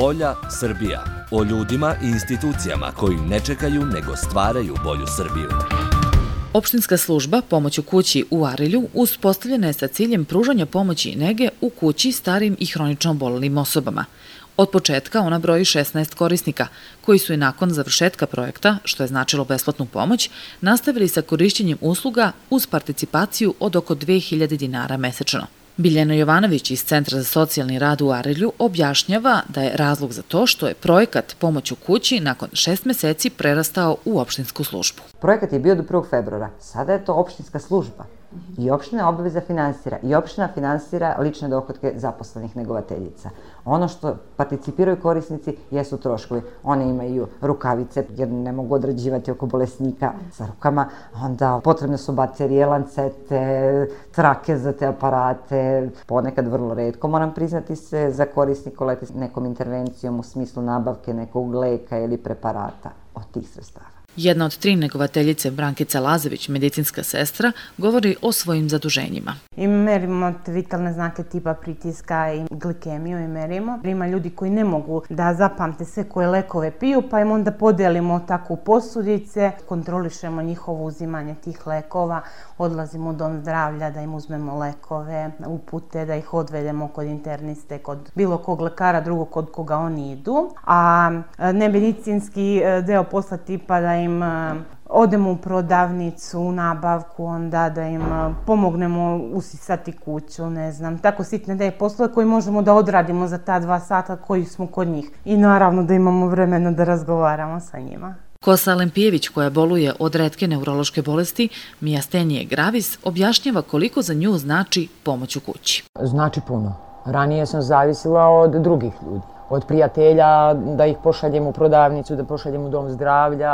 Bolja Srbija. O ljudima i institucijama koji ne čekaju nego stvaraju bolju Srbiju. Opštinska služba Pomoć u kući u Arilju uspostavljena je sa ciljem pružanja pomoći i nege u kući starim i hronično oboljelim osobama. Od početka ona broji 16 korisnika, koji su i nakon završetka projekta, što je značilo besplatnu pomoć, nastavili sa korišćenjem usluga uz participaciju od oko 2000 dinara mesečno. Biljana Jovanović iz Centra za socijalni rad u Arilju objašnjava da je razlog za to što je projekat Pomoć u kući nakon 6 meseci prerastao u opštinsku službu. Projekat je bio do 1. februara, sada je to opštinska služba i opština obaveza finansira i opština finansira lične dohotke zaposlenih negovateljica. Ono što participiraju korisnici jesu troškovi. One imaju rukavice jer ne mogu odrađivati oko bolesnika sa rukama, onda potrebne su baterije, lancete, trake za te aparate, ponekad vrlo retko, moram priznati se, za korisnika leti s nekom intervencijom u smislu nabavke nekog leka ili preparata od tih sredstava. Jedna od 3 negovateljice, Brankica Lazević, medicinska sestra, govori o svojim zaduženjima. I merimo vitalne znake tipa pritiska i glikemiju i merimo. Ima ljudi koji ne mogu da zapamte sve koje lekove piju, pa im onda podelimo tako posudice, kontrolišemo njihovo uzimanje tih lekova, odlazimo u dom zdravlja da im uzmemo lekove, upute, da ih odvedemo kod interniste, kod bilo kog lekara, drugog kod koga oni idu. A nemedicinski deo posla tipa da im odemo u prodavnicu, u nabavku, onda da im pomognemo usisati kuću, ne znam, tako sitne da je poslove koji možemo da odradimo za ta 2 sata koji smo kod njih. I naravno da imamo vremena da razgovaramo sa njima. Kosa Lempijević, koja boluje od retke neurološke bolesti, mijastenije gravis, objašnjava koliko za nju znači pomoć u kući. Znači puno. Ranije sam zavisila od drugih ljudi. Od prijatelja, da ih pošaljem u prodavnicu, da pošaljem u dom zdravlja.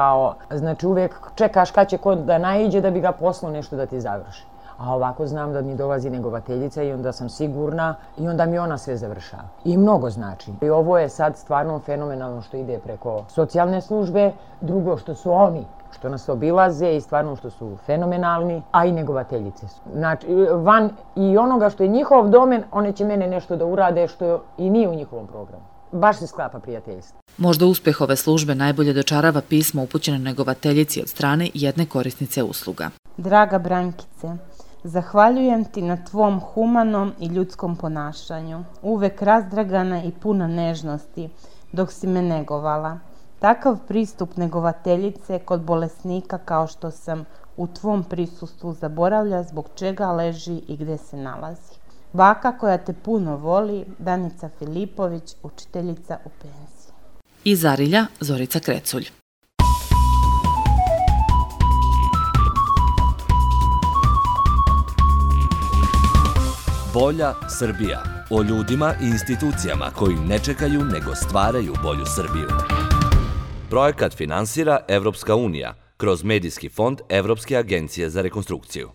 Znači uvijek čekaš kad će ko da naiđe da bi ga poslao nešto da ti završi. A ovako znam da mi dolazi negovateljica i onda sam sigurna i onda mi ona sve završava. I mnogo znači. I ovo je sad stvarno fenomenalno što ide preko socijalne službe. Drugo što su oni, što nas obilaze i stvarno što su fenomenalni, a i negovateljice su. Znači, van i onoga što je njihov domen, one će mene nešto da urade što i nije u njihovom programu. Baš se sklapa prijateljstvo. Možda uspeh ove službe najbolje dočarava pismo upućeno negovateljici od strane jedne korisnice usluga. Draga Brankice, zahvaljujem ti na tvom humanom i ljudskom ponašanju, uvek razdragana i puna nežnosti dok si me negovala. Takav pristup negovateljice kod bolesnika kao što sam u tvom prisustvu zaboravlja zbog čega leži i gde se nalazi. Baka koja te puno voli, Danica Filipović, učiteljica u penziji. Iz Arilja, Zorica Kreculj. Bolja Srbija. O ljudima i institucijama koji ne čekaju nego stvaraju bolju Srbiju. Projekat finansira Evropska unija kroz Medijski fond Evropske agencije za rekonstrukciju.